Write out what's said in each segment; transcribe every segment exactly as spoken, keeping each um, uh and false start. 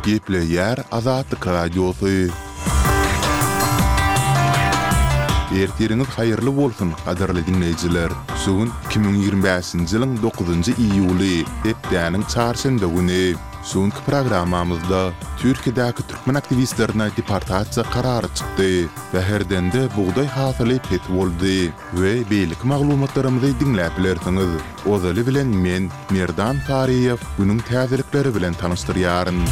Gepleýär Azatlyk Radiosy. Ertiriňiz haýyrly bolsun, gadyrly diňleýjiler! Şu gün iki müň ýigrimi bäşinji ýylyň dokuzynjy iýuly, hepdäniň çarşenbe güni. Şu günki programmamyzda Türkiýedäki türkmen aktiwistlerine deportasiýa karary çykdy. Bäherdende bugdaý hasyly pes boldy we beýleki maglumatlarymyzy diňläp bilersiňiz. Ozaly bilen men, Merdan Saryýew, günüň täzelikleri bilen tanyşdyrýaryn.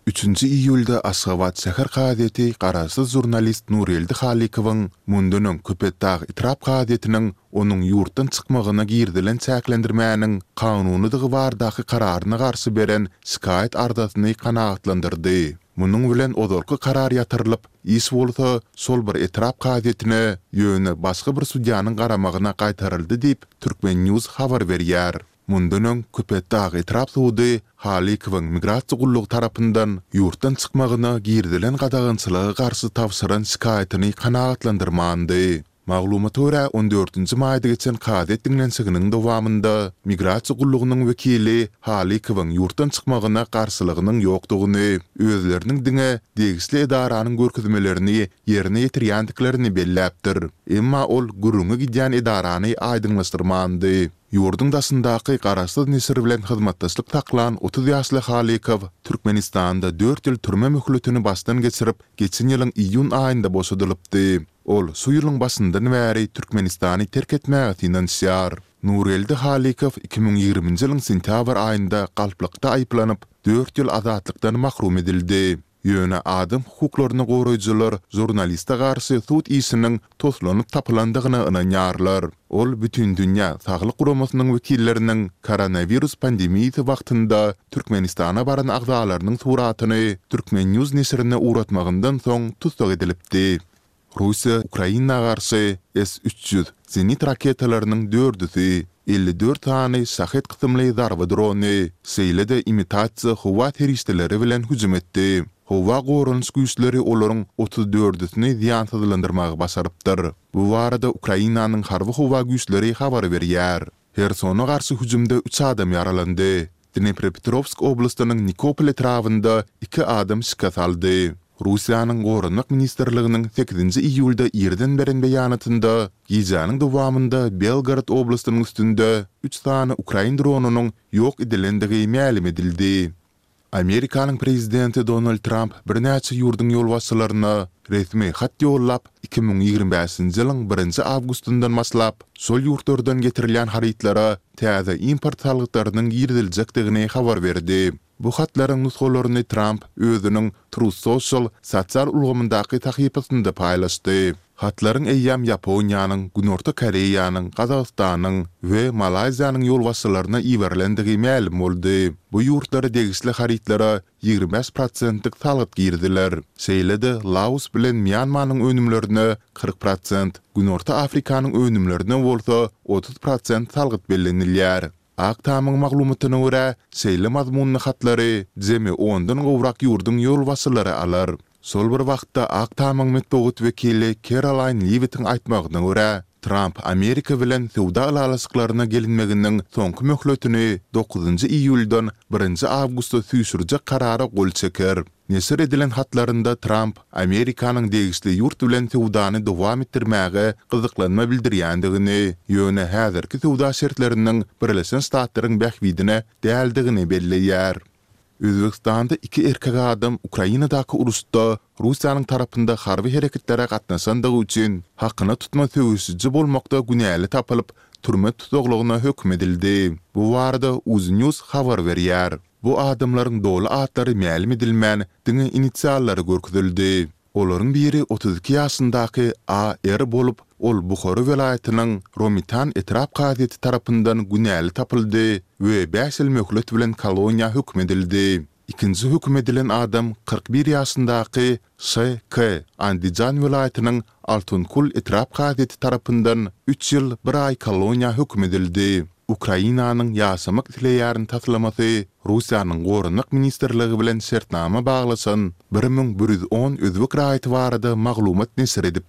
Üçünji iýulda Aşgabat şäher kazyýeti garaşsyz žurnalist Nurgeldi Halykowyň mundan öň Köpetdag etrap kazyýetiniň onuň ýurtdan çykmagyna girizilen çäklendirmäniň kanunydygy baradaky kararyna garşy beren şikaýat arzasyny kanagatlandyrdy. Munuň bilen ozalky karar ýatyrylyp, iş bolsa şol bir etrap kazyýetine, ýöne başga bir sudýanyň garamagyna gaýtaryldy diýip, Turkmen. News habar berýär. Mundan öň, Köpetdag etrap sudy Halykowyň migrasiýa gullugy tarapyndan ýurtdan çykmagyna girizilen gadagançylyga garşy tabşyran şikaýatyny kanagatlandyrmandy. Maglumata görä, on dördünji maýda geçen kazyýet diňlenişiginiň dowamynda migrasiýa gullugynyň wekili Halykowyň ýurtdan çykmagyna garşylygynyň ýokdugyny, özleriniň diňe degişli edaranyň görkezmelerini ýerine ýetirýändiklerini belläpdir. Emma ol gürrüňi gidýän edarany aýdyňlaşdyrmandy. Ýurduň daşyndaky garaşsyz neşir bilen hyzmatdaşlyk saklan otuz ýaşly Halykow Türkmenistanda dört ýyl türme möhletini başdan geçirip, geçen ýylyň iýun aýynda boşadylypdy. Ol şu ýylyň başyndan bäri Türkmenistany terk etmäge synanyşýar. Nurgeldi Halykow iki müň ýigriminji ýylyň sentýabr aýynda galplykda aýyplanyp, dört ýyl azatlykdan mahrum edildi. Ýöne adam hukuklaryny goraýjylar žurnaliste garşy sud işiniň toslanyp tapylandygyna ynanýarlar. Ol Bütindünýä saglyk guramasynyň wekilleriniň koronawirus pandemiýasy wagtynda Türkmenistana baran agzalarynyň suratyny Turkmen. News neşirine ugratmagyndan soň tussag edilipdi. Russiýa Ukraina garşy S üç ýüz zenit raketalarynyň dördüsi, elli dört sany Şahed kysymly zarba drony, şeýle-de imitasiýa howa serişdeleri bilen hüjüm etdi. Howa goranyş güýçleri olaryň otuz dördüsini zyýansyzlandyrmagy başarypdyr. Bu barada Ukrainanyň harby-howa güýçleri habar berýär. Hersona garşy hüjümde üç adam ýaralandy. Dnepropetrowsk oblastynyň Nikopol etrabynda iki adam şikes aldy. Russiýanyň Goranmak ministrliginiň sekizinji iýulda irden beren beýanatynda, gijäniň dowamynda Belgorod oblastynyň üstünde üç sany ukrain dronynyň ýok edilendigi mälim edildi. Amerikanyň prezidenti Donald Tramp birnäçe ýurduň ýolbaşçylaryna resmi hat ýollap, iki müň ýigrimi bäşinji ýylyň birinji awgustyndan başlap, şol ýurtlardan getirilýän harytlara täze import salgytlarynyň giriziljekdigini habar berdi. Bu hatlaryň nusgalaryny Tramp özüniň Truth Social sosial ulgamyndaky sahypasynda paýlaşdy. Hatlaryň eýýäm Ýaponiýanyň, Günorta Koreýanyň, Gazagystanyň we Malaýziýanyň ýolbaşçylaryna iberilendigi mälim boldy. Bu ýurtlara degişli harytlara ýigrimi bäş prosentlik salgyt giriziler. Şeýle-de Laos bilen Mýanmanyň önümlerine kyrk prosent, Günorta Afrikanyň önümlerine bolsa otuz prosent salgyt bellenilýär. Ak Tamyň maglumatyna görä, şeýle mazmunly hatlary jemi ondan gowrak ýurduň ýolbaşçylary alar. Şol bir wagtda, Ak Tamyň metbugat wekili Kerolaýn Liwittiň aýtmagyna görä, Tramp Amerika bilen söwda ylalaşyklaryna gelinmeginiň soňky möhletini dokuzynjy iýuldan birinji awgusta süýşürjek karara gol çeker. Neşir edilen hatlarynda Tramp Amerikanyň degişli ýurt bilen söwdany dowam etdirmäge gyzyklanma bildirýändigini, ýöne häzirki söwda şertleriniň Birleşen Ştatlaryň bähbidine däldigini belleýär. Özbegistanda iki erkek adam Ukrainadaky uruşda Russiýanyň tarapynda harby hereketlere gatnaşandygy üçin hakyna tutma söweşiji bolmakda günäli tapylyp, türme tussaglygyna höküm edildi. Bu barada Uznews habar berýär. Bu adamlaryň doly atlary mälim edilmän, diňe inisiallary görkezildi. Olaryň biri otuz iki ýaşyndaky A. R. bolup, ol Buhara welaýatynyň Romitan etrap kazyýeti tarapyndan günäli tapyldy we bäş ýyl möhlet bilen koloniýa höküm edildi. Ikinji höküm edilen adam kyrk bir ýaşyndaky Ş. K. Andijan welaýatynyň Altunkul etrap kazyýeti tarapyndan üç ýyl bir aý koloniýa höküm edildi. Ukrainanyň Ýaşamak isleýärin taslamasy Russiýanyň Goranmak ministrligi bilen şertnama baglaşan bir müň bir ýüz on özbek raýaty barada maglumat neşir edipdi.